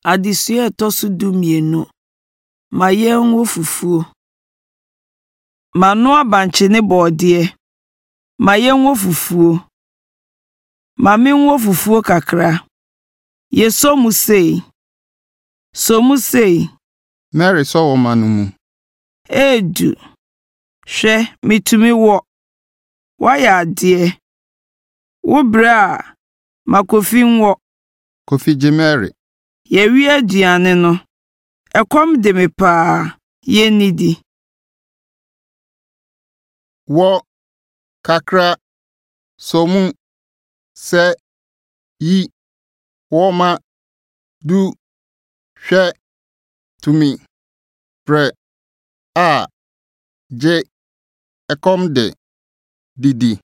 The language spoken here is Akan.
Adesua a ɛtɔ so 12. Ma yɛnwɔ fufuo. Manoa bankye ne borɔdeɛ. Ma yɛnwɔ fufuo. Ma menwɔ fufuo kakra. Yɛsɔ mu sei. Sɔ mu sei. Mary sɔ wɔma no mu. Edu. Hwɛ, mitumi wɔ. Woayɛ adeɛ. Wobrɛ a, ma Kofi nwɔ. Kofi gye Mary. Yɛawie aduane no. Ɛkɔm de me paa. Yɛnnidi. Wɔ, kakra, sɔ mu, sɛ, yi, wɔma, du, hwɛ, tumi, brɛ, a, gye, ɛkɔm de, didi.